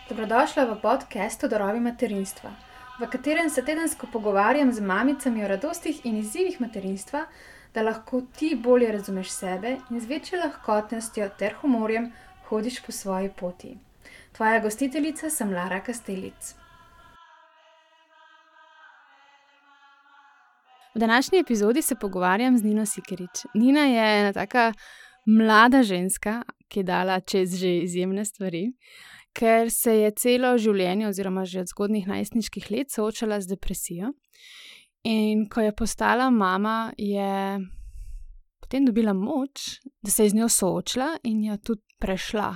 Dobrodošla v podcastu Darovi materinstva, v katerem se tedensko pogovarjam z mamicami o radostih in izzivih materinstva, da lahko ti bolje razumeš sebe in z večjo lahkotnostjo ter humorjem hodiš po svoji poti. Tvoja gostiteljica sem Lara Kastelic. V današnji epizodi se pogovarjam z Nino Sikerič. Nina je ena taka mlada ženska, ki je dala čez že izjemne stvari, ker se je celo življenje oziroma že od zgodnjih najstniških let soočala z depresijo. In ko je postala mama, je potem dobila moč, da se je z njo soočila in jo tudi prešla,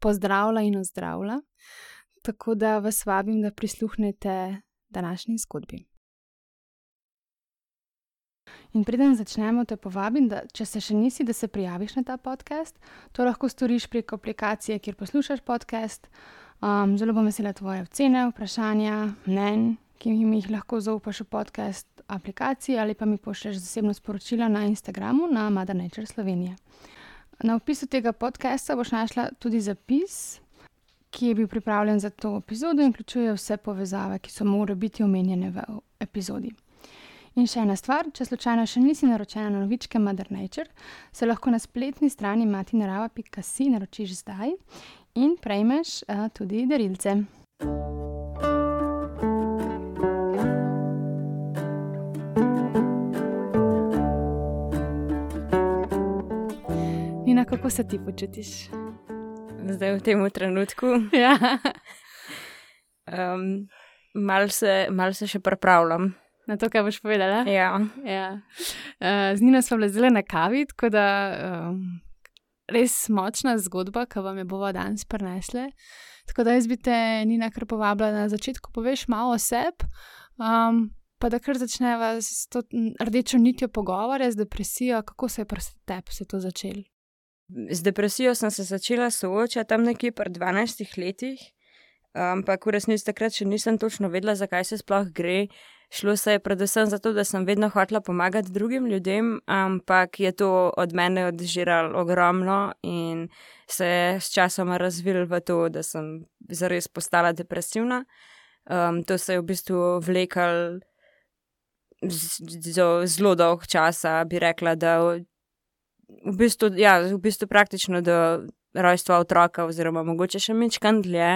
pozdravila in ozdravila. Tako da vas vabim, da prisluhnete današnji zgodbi. In preden začnemo, te povabim, da če se še nisi, da se prijaviš na ta podcast. To lahko storiš preko aplikacije, kjer poslušaš podcast. Zelo bom vesela tvoje ocene, vprašanja, mnenj, ki mi jih lahko zaupaš v podcast aplikaciji ali pa mi pošlješ zasebno sporočilo na Instagramu na Mother Nature Slovenija. Na opisu tega podcasta boš našla tudi zapis, ki je bil pripravljen za to epizodo in vključuje vse povezave, ki so morajo biti omenjene v epizodi. In še ena stvar, če slučajno še nisi naročena na novičke Mother Nature, se lahko na spletni strani matinarava.si naročiš zdaj in prejmeš tudi darilce. Nina, kako se ti počutiš? Zdaj v tem trenutku? Ja. Mal se še pripravljam. Na to, kaj boš povedala? Ja. Z Nino sva bila zdaj na kavi, tako da res močna zgodba, ki vam jo bova danes prinesle. Tako da jaz bi te, Nina, kar povabila, na začetku poveš malo o sebi, pa da kar začneva s to rdečo nitjo pogovora, z depresijo, kako se je pri tebi se to začelo? Z depresijo sem se začela soočati tam nekje pri 12 letih, ampak v resnici takrat še nisem točno vedela, zakaj se sploh gre. Šlo se je predvsem zato, da sem vedno hotela pomagati drugim ljudem, ampak je to od mene odžiralo ogromno in se je s časoma razvilo v to, da sem zares postala depresivna. To se je v bistvu vlekalo zelo dolg časa, bi rekla, da v bistvu praktično do rojstva otroka oziroma mogoče še majčkeno dlje.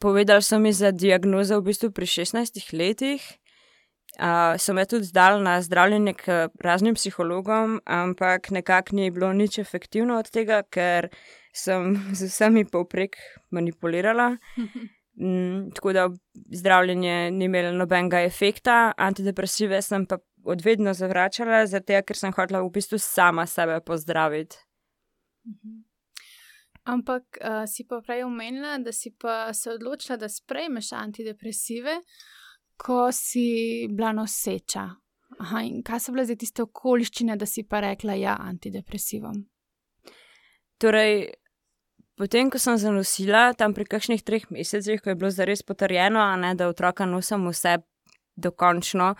Povedali so mi za diagnozo v bistvu pri 16 letih. Sem jo tudi dala na zdravljenje k raznim psihologom, ampak nekako ni bilo nič efektivno od tega, ker sem z vsemi povprek manipulirala. Tako da zdravljenje ni imelo nobenega efekta. Antidepresive sem pa odvedno zavračala, zato ker sem hotela v bistvu sama sebe pozdraviti. Ampak si pa prej omenila, da si pa se odločila, da sprejmeš antidepresive, ko si bila noseča. In kaj so bile zdaj tiste okoliščine, da si pa rekla ja antidepresivom? Torej, potem, ko sem zanosila, tam pri kakšnih 3 mesecih, ko je bilo zares potrjeno, da otroka nosim vse dokončno,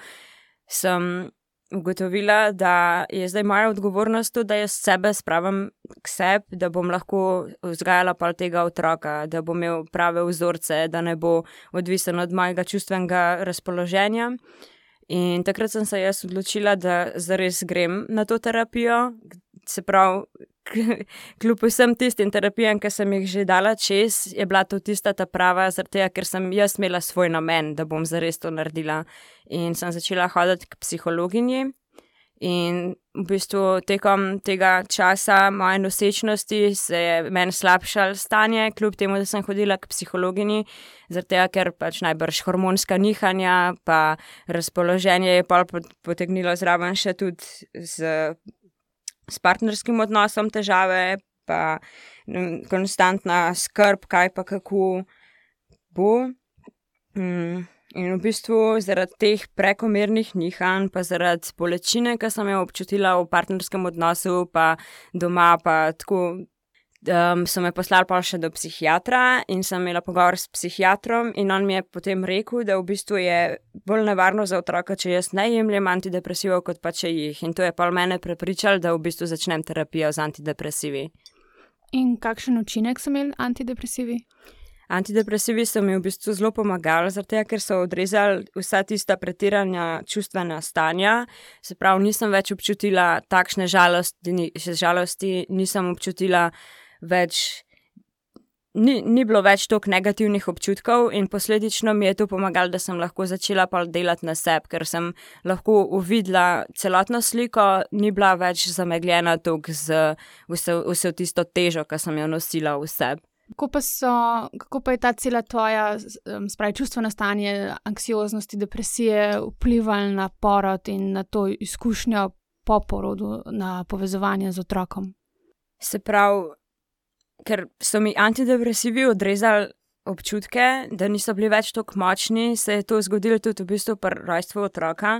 sem ugotovila, da je zdaj moja odgovornost tudi, da jaz sebe spravim k sebi, da bom lahko vzgajala pa tega otroka, da bom imel prave vzorce, da ne bo odvisen od mojega čustvenega razpoloženja. In takrat sem se jaz odločila, da zares grem na to terapijo, se pravi, kljub vsem tistim terapijam, ki sem jih že dala čez, je bila to tista ta prava, zaradi tega, ker sem jaz imela svoj namen, da bom zares to naredila. In sem začela hoditi k psihologinji in v bistvu tekom tega časa moje nosečnosti se je meni slabšalo stanje, kljub temu, da sem hodila k psihologinji, zaradi tega, ker pač najbrž hormonska nihanja pa razpoloženje je pol potegnilo zraven še tudi s partnerskim odnosom težave, pa konstantna skrb, kaj pa kako bo. In v bistvu zaradi teh prekomernih nihanj, pa zaradi bolečine, ki sem jo občutila v partnerskem odnosu, pa doma, pa tako, so me poslali pa še do psihiatra in sem imela pogovor s psihiatrom in on mi je potem rekel, da v bistvu je bolj nevarno za otroka, če jaz ne jemljem antidepresivov, kot pa če jih. In to je pa mene prepričalo, da v bistvu začnem terapijo z antidepresivi. In kakšen učinek so imeli antidepresivi? Antidepresivi so mi v bistvu zelo pomagali, zato ker so odrezali vsa tista pretirana čustvena stanja. Se pravi, nisem več občutila takšne žalosti, nisem občutila več, ni bilo več toliko negativnih občutkov in posledično mi je to pomagalo, da sem lahko začela pa delati na sebi, ker sem lahko uvidela celotno sliko, ni bila več zamegljena toliko z vso tisto težo, ki sem jo nosila v sebi. Kako pa je ta cela tvoja, čustveno stanje, anksioznosti, depresije vplivala na porod in na to izkušnjo po porodu, na povezovanje z otrokom? Se pravi, ker so mi antidepresivi odrezali občutke, da niso bili več tako močni, se je to zgodilo tudi v bistvu pri rojstvu otroka.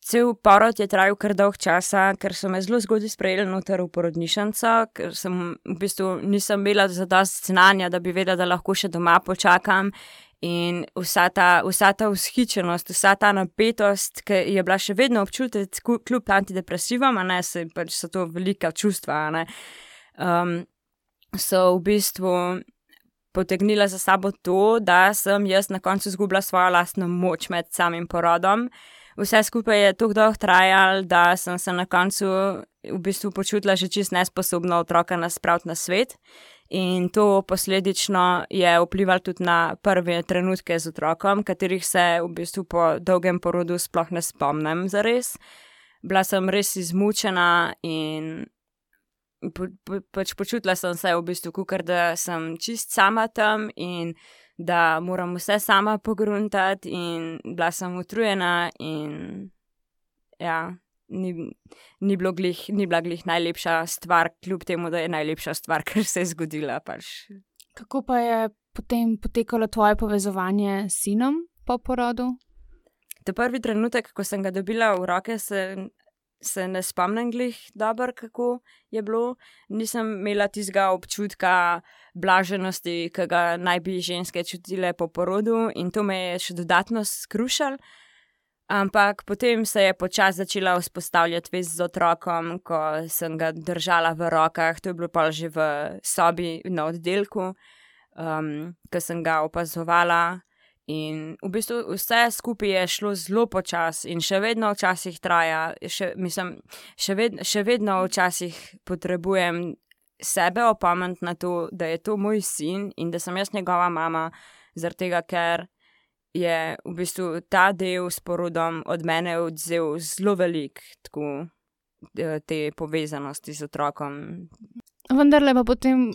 Cel porod je trajal kar dolg časa, ker so me zelo zgodaj sprejeli noter v porodnišnico, ker sem v bistvu nisem imela zadosti znanja, da bi vedela, da lahko še doma počakam. In vsa ta vzhičenost, vsa ta napetost, ki je bila še vedno občutiti kljub antidepresivom, so to velika čustva, so v bistvu potegnila za sabo to, da sem jaz na koncu izgubila svojo lastno moč med samim porodom. Vse skupaj je tako dolgo trajalo, da sem se na koncu v bistvu počutila že čisto nesposobno otroka spraviti na svet. In to posledično je vplivalo tudi na prve trenutke z otrokom, katerih se v bistvu po dolgem porodu sploh ne spomnim zares. Bila sem res izmučena in počutila sem se v bistvu, kakor da sem čist sama tam in da moram vse sama pogruntati in bila sem utrujena in ja, ni bila glih najlepša stvar, kljub temu, da je najlepša stvar, kar se je zgodila pač. Kako pa je potem potekalo tvoje povezovanje s sinom po porodu? Ta prvi trenutek, ko sem ga dobila v roke, se ne spomnim glih dobro, kako je bilo. Nisem imela tistega občutka blaženosti, ki ga naj bi ženske čutile po porodu in to me je še dodatno skrušalo. Ampak potem se je počasi začela vzpostavljati vez z otrokom, ko sem ga držala v rokah. To je bilo pa že v sobi na oddelku, ko sem ga opazovala. In v bistvu vse skupaj je šlo zelo počasi in še vedno včasih traja, še vedno včasih potrebujem sebe opomniti na to, da je to moj sin in da sem jaz njegova mama, zaradi tega, ker je v bistvu ta del s porodom od mene odvzel zelo veliko te povezanosti z otrokom. Vendarle pa potem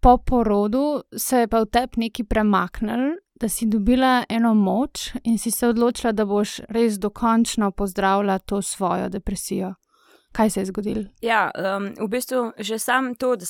po porodu se je pa v tebi nekaj premaknilo, da si dobila eno moč in si se odločila, da boš res dokončno pozdravila to svojo depresijo. Kaj se je zgodilo? Ja, v bistvu že sam to, da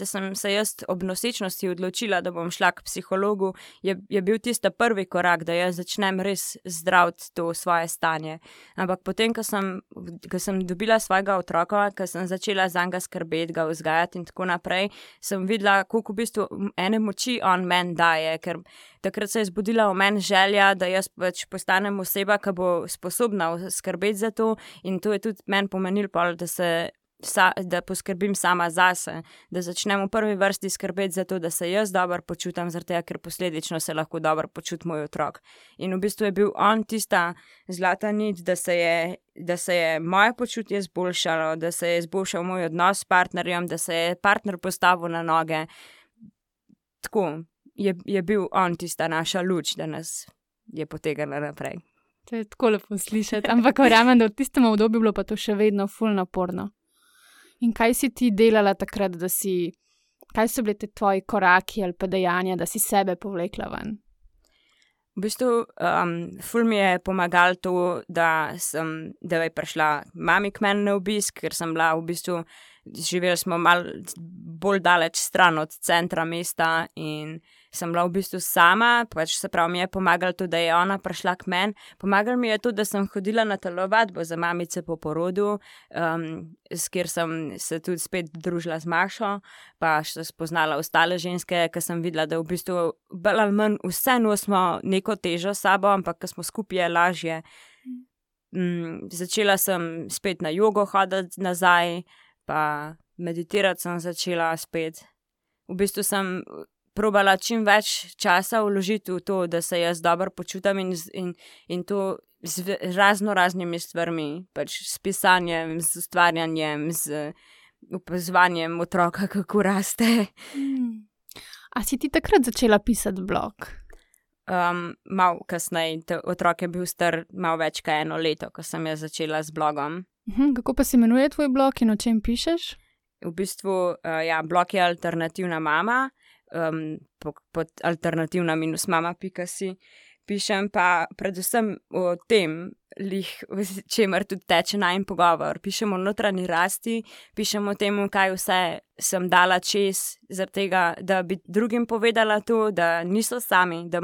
sem se jaz ob nosečnosti odločila, da bom šla k psihologu, je bil tisti prvi korak, da jaz začnem res zdraviti to svoje stanje. Ampak potem, ko sem dobila svojega otroka, ko sem začela zanj skrbeti, ga vzgajati in tako naprej, sem videla, koliko v bistvu ene moči on meni daje, ker takrat se je zbudila v meni želja, da jaz pač postanem oseba, ki bo sposobna skrbeti za to in to je tudi meni pomenilo, da poskrbim sama zase, da začnem v prvi vrsti skrbeti za to, da se jaz dobro počutim, zaradi tega, ker posledično se lahko dobro počuti moj otrok. In v bistvu je bil on tista zlata nit, da se je moje počutje izboljšalo, da se je izboljšal moj odnos s partnerjem, da se je partner postavil na noge. Tako je bil on tista naša luč, da nas je potegnila naprej. To je tako lepo slišati, ampak verjamem, da v tistem obdobju bilo pa to še vedno ful naporno. In kaj si ti delala takrat, kaj so bili te tvoji koraki ali pa dejanja, da si sebe povlekla ven? V bistvu, ful mi je pomagalo to, da je prišla mami k meni na obisk, ker sem bila v bistvu, živeli smo malo bolj daleč stran od centra mesta in sem bila v bistvu sama, pač se pravi mi je pomagalo to, da je ona prišla k meni. Pomagalo mi je to, da sem hodila na telovadbo za mamice po porodu, kjer sem se tudi spet družila z Mašo, pa še spoznala ostale ženske, ker sem videla, da v bistvu bolj ali manj vse nosimo neko težo s sabo, ampak ker smo skupaj je lažje. Začela sem spet na jogo hoditi nazaj, pa meditirati sem začela spet. V bistvu sem probala čim več časa vložiti v to, da se jaz dobro počutam in to z raznimi stvarmi, pač s pisanjem, z ustvarjanjem, z opazovanjem otroka, kako raste. A si ti takrat začela pisati blog? Malo kasneje, otrok je bil star malo več kot 1 leto, ko sem jaz začela z blogom. Kako pa se imenuje tvoj blog in o čem pišeš? V bistvu, blog je Alternativna mama, pod alternativna-mama.si. Pišem pa predvsem o tem, čemer tudi teče najin pogovor. Pišem o notranji rasti, pišem o tem, kaj vse sem dala čez, zaradi tega, da bi drugim povedala to, da niso sami, da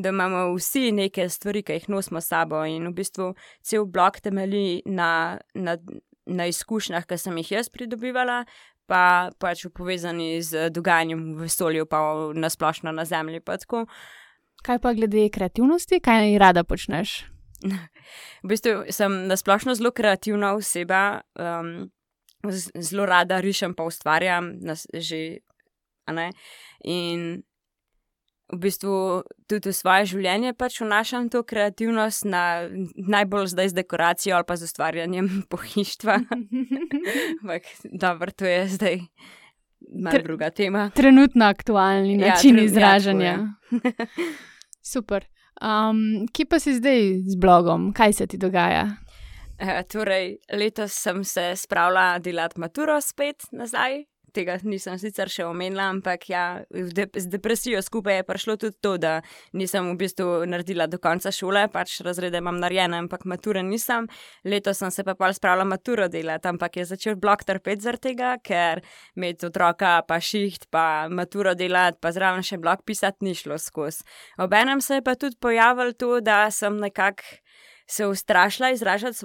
imamo vsi neke stvari, ki jih nosimo s sabo, in v bistvu cel blog temelji na izkušnjah, ki sem jih jaz pridobivala, pa pač povezani z dogajanjem v vesolju, pa nasplošno na Zemlji, pa tako. Kaj pa glede kreativnosti? Kaj rada počneš? V bistvu sem nasplošno zelo kreativna oseba, zelo rada rišem pa ustvarjam, in v bistvu tudi v svoje življenje pač vnašam to kreativnost, najbolj zdaj z dekoracijo ali pa z ustvarjanjem pohištva. Ampak dobro, to je zdaj malo druga tema. Trenutno aktualni način izražanja. Super. Kje pa si zdaj z blogom? Kaj se ti dogaja? Torej, letos sem se spravila delati maturo spet nazaj. Tega nisem sicer še omenila, ampak z depresijo skupaj je prišlo tudi to, da nisem v bistvu naredila do konca šole, pač razrede imam narejene, ampak mature nisem. Letos sem se pa pol spravila maturo delati, ampak je začel blog trpeti zaradi tega, ker imeti otroka pa šiht, pa maturo delati, pa zraven še blog pisati ni šlo skozi. Obenem se je pa tudi pojavilo to, da sem nekako se ustrašila izražati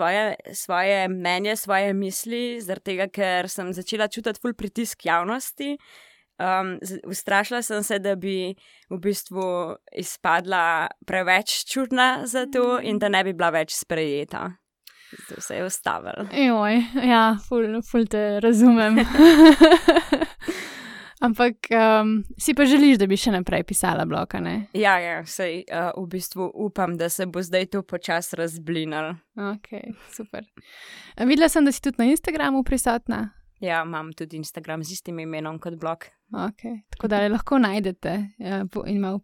svoje mnenje, svoje misli, zaradi tega, ker sem začela čutiti ful pritisk javnosti. Ustrašila sem se, da bi v bistvu izpadla preveč čudna za to in da ne bi bila več sprejeta. Zato se je ustavila. Ful te razumem. Ampak si pa želiš, da bi še naprej pisala blog, ne? Ja, sej v bistvu upam, da se bo zdaj to počasi razblinalo. Ok, super. Videla sem, da si tudi na Instagramu prisotna. Ja, imam tudi Instagram z istim imenom kot blog. Ok, tako da lahko najdete in malo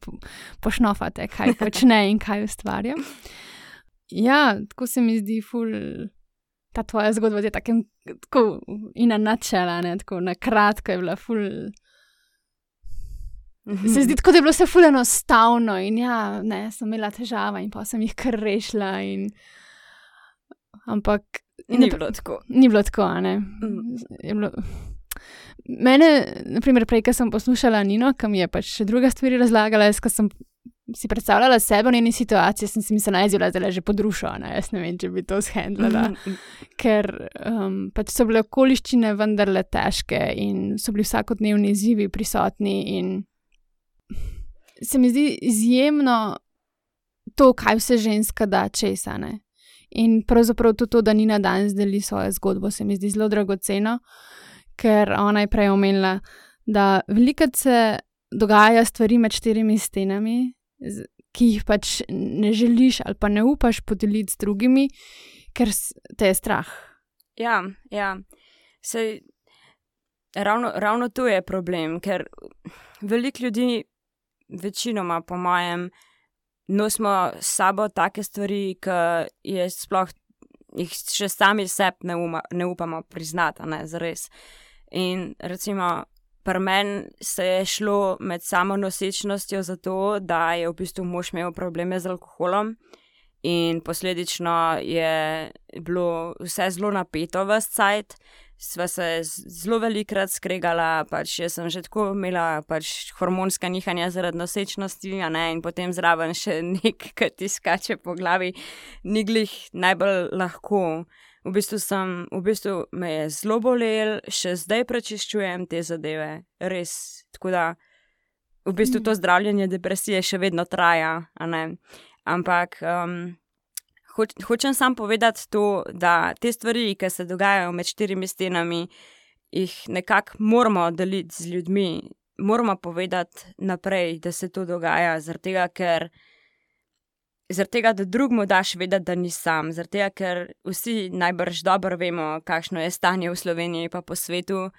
pošnofate, kaj počne in kaj ustvarja. Ja, tako se mi zdi ful... Ta tvoja zgodba je tako in na načela, ne, tako na kratko je bila ful... Se zdi tako, da je bilo vse ful enostavno in sem imela težave in pa sem jih kar rešila in... Ampak... Ni bilo tako. Ni bilo tako, a ne? Je bilo... Mene, naprimer, prej, ko sem poslušala Nino, ki mi je pač še druga stvari razlagala, ko sem si predstavljala sebe v njeni situaciji, sem si mislila, da je že podrušila, jaz ne vem, če bi to shendlala, ker pač so bile okoliščine vendarle težke in so bili vsakodnevni izzivi prisotni in se mi zdi izjemno to, kaj vse ženska da česa, ne. In pravzaprav tudi to, da Nina danes deli svojo zgodbo, se mi zdi zelo dragoceno, ker ona je prej omenila, da velikokrat se dogaja stvari med 4 stenami, ki jih pač ne želiš ali pa ne upaš podeliti z drugimi, ker te je strah. Ja. Sej, ravno to je problem, ker veliko ljudi, večinoma po mojem, nosimo s sabo take stvari, ki jih še sami sebi ne upamo priznati, ne, zares. In recimo, pri meni se je šlo med samo nosečnostjo zato, da je v bistvu mož imel probleme z alkoholom in posledično je bilo vse zelo napeto ves cajt. Sva se zelo velikokrat skregala, pač jaz sem že tako imela pač hormonska nihanja zaradi nosečnosti, in potem zraven še ki ti skače po glavi, ni glih najbolj lahko. V bistvu me je zelo bolel, še zdaj prečiščujem te zadeve, res. Tako da v bistvu to zdravljenje depresije še vedno traja, Ampak hočem samo povedati to, da te stvari, ki se dogajajo med 4 stenami, jih nekako moramo deliti z ljudmi, moramo povedati naprej, da se to dogaja, zaradi tega, da drugmu daš vedeti, da ni sam, zaradi tega, ker vsi najbrž dobro vemo, kakšno je stanje v Sloveniji pa po svetu,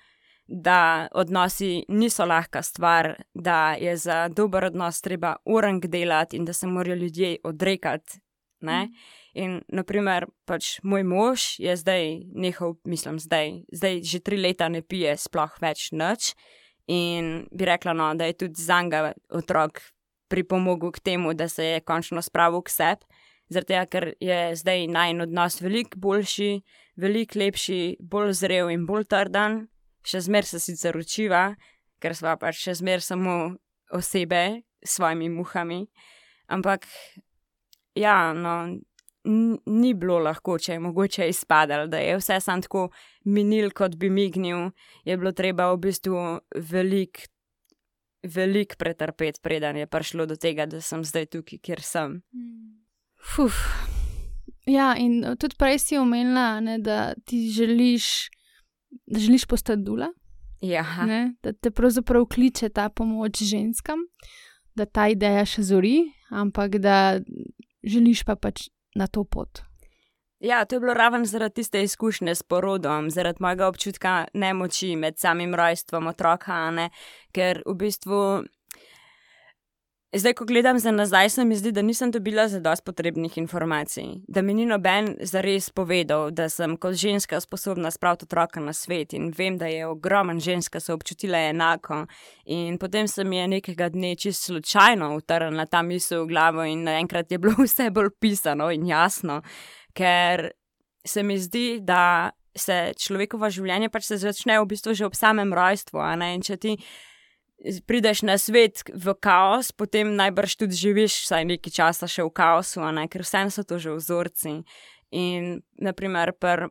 da odnosi niso lahka stvar, da je za dober odnos treba urank delati in da se morajo ljudje odrekati, ne? In, naprimer, pač moj mož je zdaj nehal, zdaj že 3 leta ne pije sploh več nič in bi rekla, no, da je tudi zanga otrok pripomogel k temu, da se je končno spravil k sebi, zaradi tega, ker je zdaj najin odnos veliko boljši, veliko lepši, bolj zrel in bolj trden. Še zmer se sicer učiva, ker sva pač še zmer samo osebe s svojimi muhami, ampak ja, no, ni bilo lahko, če je mogoče izpadalo, da je vse sam tako minil, kot bi mignil, je bilo treba v bistvu veliko pretrpeti, preden je prišlo do tega, da sem zdaj tukaj, kjer sem. Ja, in tudi prej si omenila, ne, da ti želiš postati dula, Ja. ne, da te pravzaprav kliče ta pomoč ženskam, da ta ideja še zori, ampak da želiš pa pač na to pot. Ja, to je bilo ravno zaradi tiste izkušnje s porodom, zaradi mojega občutka nemoči med samim rojstvom otroka, ne, ker v bistvu zdaj, ko gledam za nazaj, se mi zdi, da nisem dobila zadosti potrebnih informacij, da mi ni noben zares povedal, da sem kot ženska sposobna spraviti otroka na svet in vem, da je ogromen ženska se občutila enako in potem se mi je nekega dne čisto slučajno utrnila ta misel v glavo in naenkrat je bilo vse bolj pisano in jasno, ker se mi zdi, da se človekovo življenje pač se začne v bistvu že ob samem rojstvu, a ne, in če ti prideš na svet v kaos, potem najbrž tudi živiš vsaj nekaj časa še v kaosu, ne? Ker vsem so to že vzorci. In naprimer pri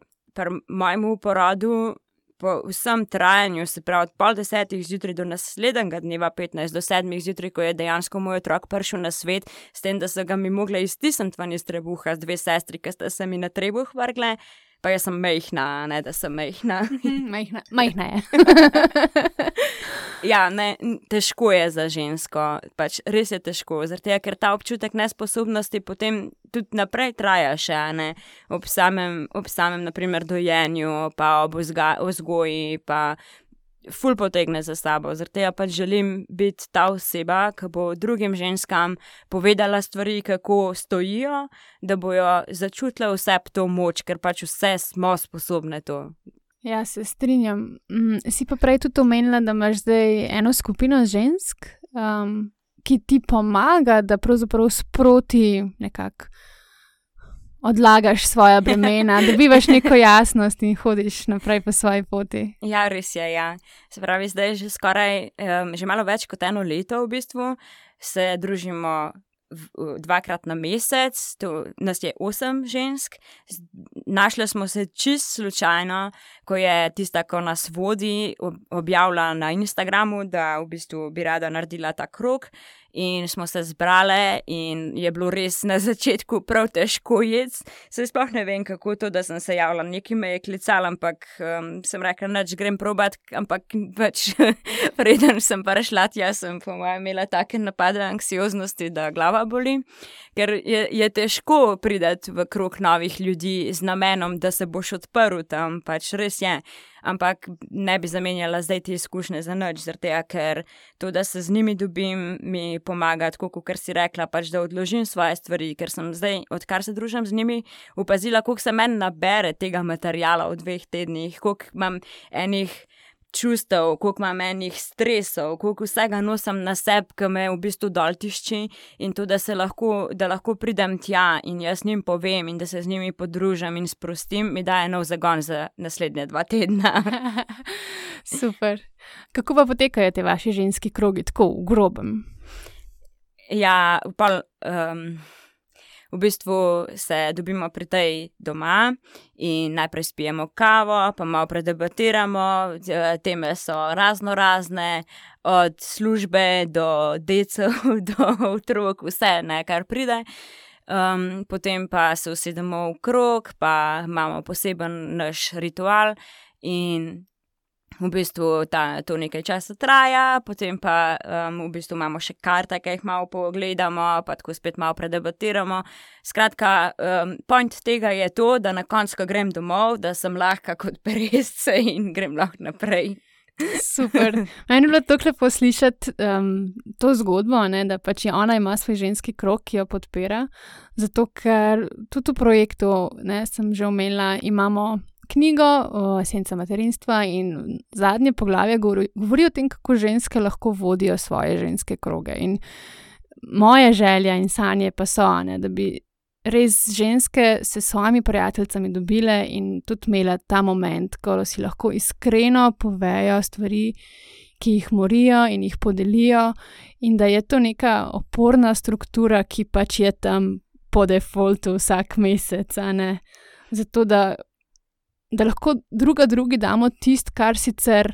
mojemu porodu, po vsem trajanju, se pravi od 9:30 zjutraj do naslednjega dneva 15 do 7 zjutraj, ko je dejansko moj otrok prišel na svet, s tem, da so ga mi mogle iztisniti ven iz trebuha z 2 sestri, ki sta se mi na trebuh vrgle, pa jaz sem majhna, ne da sem majhna. Majhna je. Ja, ne, težko je za žensko, pač res je težko, zaradi tega, ker ta občutek nesposobnosti potem tudi naprej traja še, ne, ob samem, naprimer, dojenju, pa ob vzgoji, pa ful potegne za sabo, zaradi tega pač želim biti ta oseba, ki bo drugim ženskam povedala stvari, kako stojijo, da bojo začutile vse to moč, ker pač vse smo sposobne to. Ja, se strinjam. Si pa prej tudi omenila, da imaš zdaj eno skupino žensk, ki ti pomaga, da pravzaprav sproti nekako odlagaš svoja bremena, dobivaš neko jasnost in hodiš naprej po svoji poti. Ja, res je, ja. Se pravi, zdaj že skoraj, že malo več kot 1 leto v bistvu se družimo 2-krat na mesec, nas je 8 žensk. Našle smo se čisto slučajno, ko je tista, ko nas vodi, objavila na Instagramu, da v bistvu bi rada naredila ta krog. In smo se zbrale in je bilo res na začetku prav težko jeti. Saj sploh ne vem, kako to, da sem se javila. Nekaj me je klicala, ampak sem rekla, nič grem probat, ampak pač preden sem prišla tja, sem po mojem imela take napade anksioznosti, da glava boli. Ker je težko priti v krog novih ljudi z namenom, da se boš odprl tam, pač res je. Ampak ne bi zamenjala zdaj te izkušnje za nič, zaradi tega, ker to, da se z njimi dobim, mi pomaga, tako kot si rekla, pač da odložim svoje stvari, ker sem zdaj, odkar se družim z njimi, opazila, koliko se meni nabere tega materiala v 2 tednih, koliko imam enih čustev, koliko imam enih stresov, koliko vsega nosim na sebi, ki me v bistvu dol tišči in to, da lahko pridem tja in jaz njim povem in da se z njimi podružim in sprostim, mi daje nov zagon za naslednje 2 tedna. Super. Kako pa potekajo te vaši ženski krogi, tako v grobem? Ja, v bistvu se dobimo pri tej doma in najprej spijemo kavo, pa malo predebatiramo, teme so razne, od službe do decev, do otrok, vse, ne, kar pride. Potem pa se usedemo v krog, pa imamo poseben naš ritual in v bistvu to nekaj časa traja, potem pa v bistvu imamo še karte, ki jih malo pogledamo, pa tako spet malo predebatiramo. Skratka, point tega je to, da na koncu, ko grem domov, da sem lahka kot peresce in grem lahko naprej. Super. Meni je bilo tako lepo slišati to zgodbo, ne, da pač ona ima svoj ženski krog, ki jo podpira, zato ker tudi v projektu, ne, sem že omenila, imamo knjigo Esenca materinstva in zadnje poglavje govori o tem, kako ženske lahko vodijo svoje ženske kroge. In moje želje in sanje pa so, ne, da bi res ženske se s svojimi prijateljicami dobile in tudi imele ta moment, ko si lahko iskreno povejo stvari, ki jih morijo in jih podelijo, in da je to neka oporna struktura, ki pač je tam po defaultu vsak mesec, a ne? Zato, da lahko drugi damo tisto, kar sicer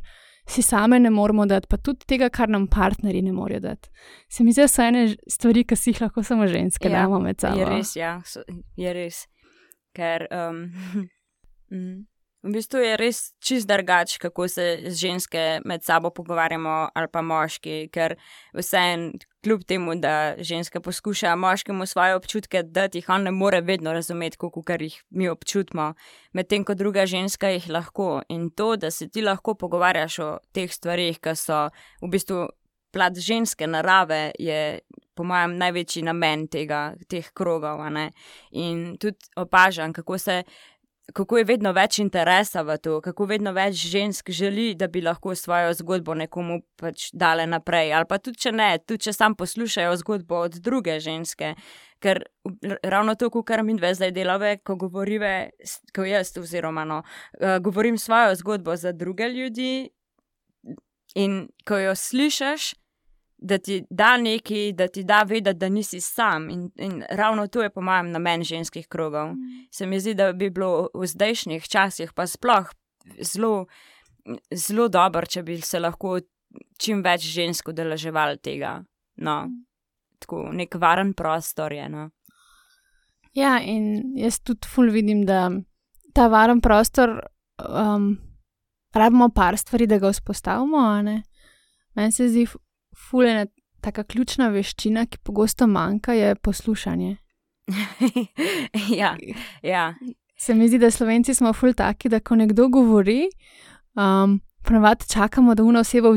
si same ne moramo dati, pa tudi tega, kar nam partnerji ne morejo dati. Se mi zdi, da so ene stvari, ki si jih lahko samo ženske damo med sabo. Je res, ja. Je res. Ker v bistvu je res čist drugače, kako se ženske med sabo pogovarjamo ali pa moški, ker vseeno kljub temu, da ženska poskuša moškemu svoje občutke dati, jih on ne more vedno razumeti, kakor jih mi občutimo, medtem ko druga ženska jih lahko. In to, da se ti lahko pogovarjaš o teh stvarih, ki so v bistvu plat ženske narave, je po mojem največji namen teh krogov, a ne. In tudi opažam, kako je vedno več interesa v to, kako vedno več žensk želi, da bi lahko svojo zgodbo nekomu pač dale naprej. Ali pa tudi, če ne, tudi če sam poslušajo zgodbo od druge ženske. Ker ravno to, kar mi dve zdaj delave, ko jaz oziroma govorim svojo zgodbo za druge ljudi in ko jo slišiš, da ti da nekaj, da ti da vedeti, da nisi sam. In ravno to je po mojem namen ženskih krogov. Se mi zdi, da bi bilo v zdajšnjih časih pa sploh zelo, zelo dobro, če bi se lahko čim več žensk udeleževali tega. No, tako, nek varen prostor je, no. Ja, in jaz tudi ful vidim, da ta varen prostor rabimo par stvari, da ga vzpostavimo, a ne. Meni se zdi ful ena taka ključna veščina, ki pogosto manjka, je poslušanje. Ja. Se mi zdi, da Slovenci smo ful taki, da ko nekdo govori, ponavadi čakamo, da ona oseba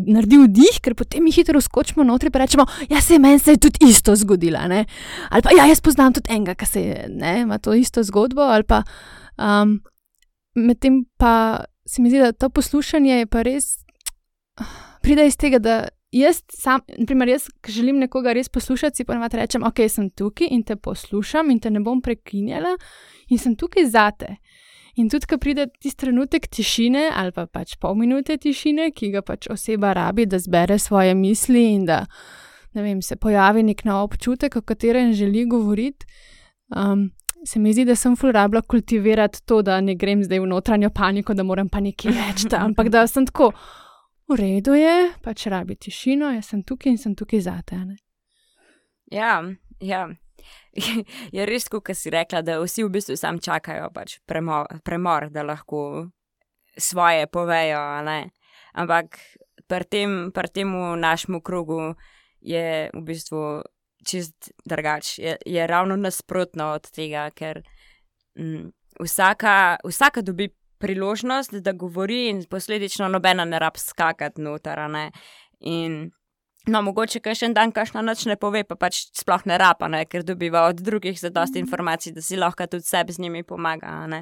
naredi vdih, ker potem mi hitro skočimo notri pa rečemo, ja, meni se je tudi isto zgodila, ne. Ali pa, ja, jaz poznam tudi enega, ki se je, ne, ima to isto zgodbo, ali pa medtem pa se mi zdi, da to poslušanje je pa res pride iz tega, da jaz, ki želim nekoga res poslušati, si ponavadi rečem, ok, sem tukaj in te poslušam in te ne bom prekinjala in sem tukaj zate. In tudi, ko pride tisti trenutek tišine ali pa pač pol minute tišine, ki ga pač oseba rabi, da zbere svoje misli in da, ne vem, se pojavi nek nov občutek, o katerem želi govoriti, se mi zdi, da sem ful rabila kultivirati to, da ne grem zdaj v notranjo paniko, da moram pa nekaj reči, ampak da sem tako, v redu je, pač rabi tišino, jaz sem tukaj in sem tukaj zate, ne? Ja. Je res, kot si rekla, da vsi v bistvu sam čakajo pač premor, da lahko svoje povejo, ne? Ampak pri tem našemu krogu je v bistvu čist drugač. Je ravno nasprotno od tega, ker vsaka dobi priložnost, da govori in posledično nobena ne rab skakati noter, ne. In no, mogoče kakšen dan kakšna nič ne pove, pa pač sploh ne rapa, ne, ker dobiva od drugih zadosti informacij, da si lahko tudi sebi z njimi pomaga, ne.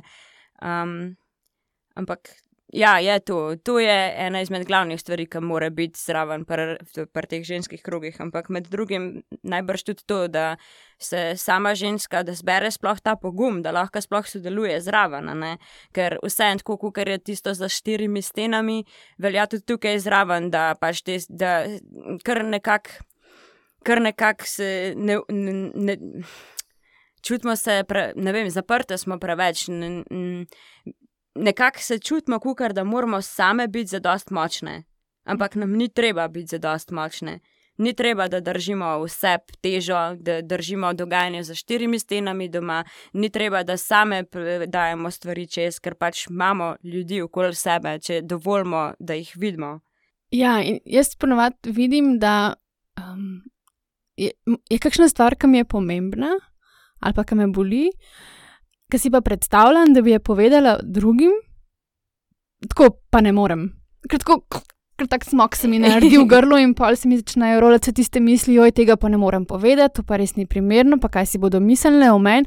Ampak ja, je to. To je ena izmed glavnih stvari, ki mora biti zraven pri teh ženskih krogih, ampak med drugim najbrž tudi to, da se sama ženska, da zbere sploh ta pogum, da lahko sploh sodeluje zraven, ne, ker vseeno tako, kakor je tisto za 4 stenami, velja tudi tukaj zraven, da pač da kar nekako se ne čutimo se, ne vem, zaprte smo preveč, nekako se čutimo, kakor da moramo same biti zadost močne, ampak nam ni treba biti zadost močne. Ni treba, da držimo vse težo, da držimo dogajanje za 4 stenami doma, ni treba, da same dajemo stvari čez, ker pač imamo ljudi okoli sebe, če dovolimo, da jih vidimo. Ja, in jaz ponovadi vidim, da je kakšna stvar, ki mi je pomembna ali pa ki me boli, ki si pa predstavljam, da bi je povedala drugim, tako pa ne morem. Ker tak smok se mi naredi v grlu in pol se mi začnejo rolati tiste misli, joj, tega pa ne morem povedati, to pa res ni primerno, pa kaj si bodo mislile o meni.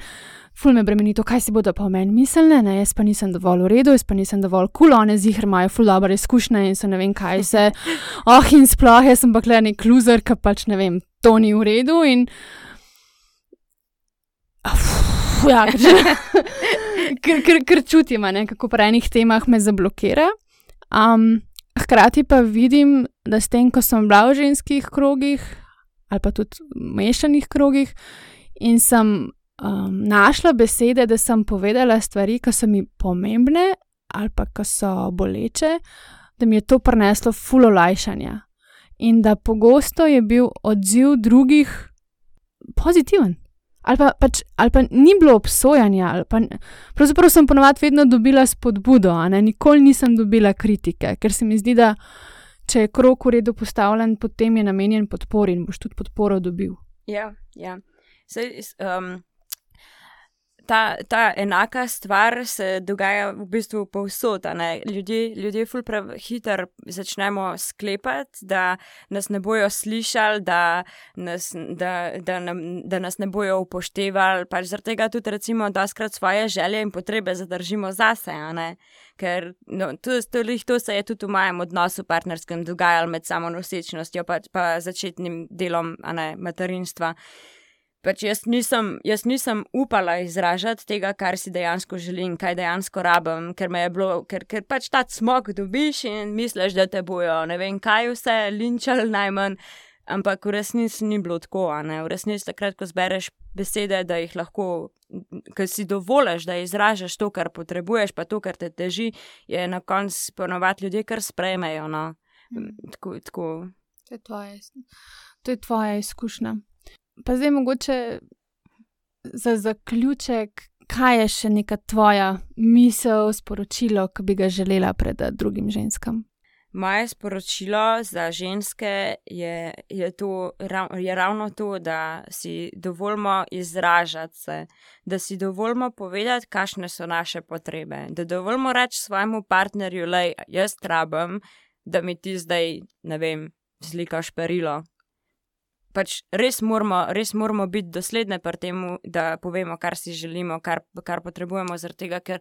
Ful me bremeni to, kaj si bodo pa o meni mislile, ne, jaz pa nisem dovolj v redu, jaz pa nisem dovolj cool, one ziher imajo ful dobre izkušnje in so ne vem kaj se, in sploh, jaz sem pa kle nek loser, ki pač ne vem, to ni v redu in ja, ker čutim, ne, kako pri enih temah me zablokira. Hkrati pa vidim, da s tem, ko sem bila v ženskih krogih ali pa tudi mešanih krogih in sem našla besede, da sem povedala stvari, ki so mi pomembne ali pa ki so boleče, da mi je to prineslo ful olajšanja in da pogosto je bil odziv drugih pozitiven. Ali pa ni bilo obsojanja, ali pa pravzaprav sem ponovadi vedno dobila spodbudo, nikoli nisem dobila kritike, ker se mi zdi, da če je krog v redu postavljen, potem je namenjen podpori in boš tudi podporo dobil. Ja. Saj, ta enaka stvar se dogaja v bistvu povsod, Ljudje ful prehitro začnemo sklepati, da nas ne bojo slišali, da nas ne bojo upoštevali, pač zaradi tega tudi recimo doskrat svoje želje in potrebe zadržimo zase, Ker to se je tudi v mojem odnosu partnerskem dogajalo med samo nosečnostjo pa začetnim delom, materinstva. Pač jaz nisem upala izražati tega, kar si dejansko želim, kaj dejansko rabim, ker pač ta cmok dobiš in misliš, da te bojo ne vem kaj vse linčali najmanj, ampak v resnici ni bilo tako, V resnici takrat, ko zbereš besede, da jih lahko, ko si dovoliš, da izražaš to, kar potrebuješ, pa to, kar te teži, je na koncu ponovadi ljudje kar sprejmejo, Tako. To je tvoja izkušnja. Pa zdaj mogoče za zaključek, kaj je še neka tvoja misel, sporočilo, ki bi ga želela predati drugim ženskam? Moje sporočilo za ženske je ravno to, da si dovolimo izražati se, da si dovolimo povedati, kakšne so naše potrebe, da dovolimo reči svojemu partnerju, lej, jaz rabim, da mi ti zdaj, ne vem, zlikaš perilo. Pač res moramo biti dosledne pri temu, da povemo, kar si želimo, kar potrebujemo, zaradi tega, ker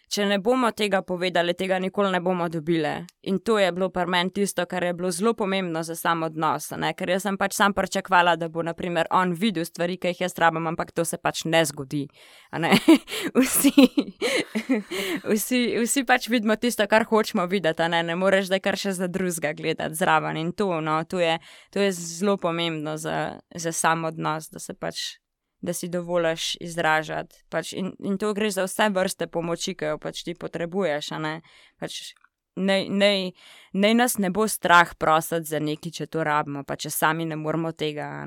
če ne bomo tega povedali, tega nikoli ne bomo dobile. In to je bilo pri meni tisto, kar je bilo zelo pomembno za sam odnos, Ker jaz sem pač sam pričakovala, da bo, na primer, on videl stvari, ki jih jaz rabim, ampak to se pač ne zgodi, Vsi pač vidimo tisto, kar hočemo videti, Ne moreš zdaj kar še za drugega gledati zraven in to je zelo pomembno za sam odnos, da se pač da si dovoliš izražati. Pač in to gre za vse vrste pomoči, ki jo pač ti potrebuješ, Pač naj nas ne bo strah prositi za nekaj, če to rabimo, pa če sami ne moramo tega,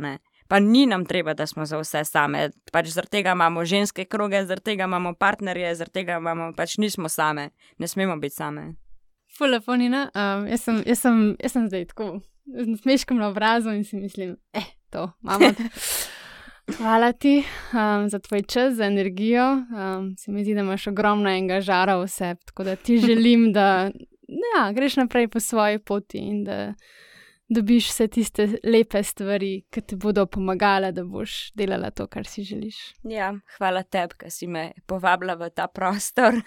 Pa ni nam treba, da smo za vse same. Pač zaradi tega imamo ženske kroge, zaradi tega imamo partnerje, zaradi tega pač nismo same. Ne smemo biti same. Ful lepo, Nina. Jaz sem zdaj tako z smeškom na obrazu in si mislim, to imamo. Hvala ti za tvoj čas, za energijo. Se mi zdi, da imaš ogromno enega žara v sebi, tako da ti želim, da greš naprej po svoji poti in da dobiš vse tiste lepe stvari, ki ti bodo pomagale, da boš delala to, kar si želiš. Ja, hvala tebi, ker si me povabila v ta prostor,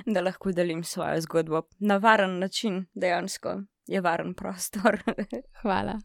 da lahko delim svojo zgodbo na varen način, dejansko je varen prostor. Hvala.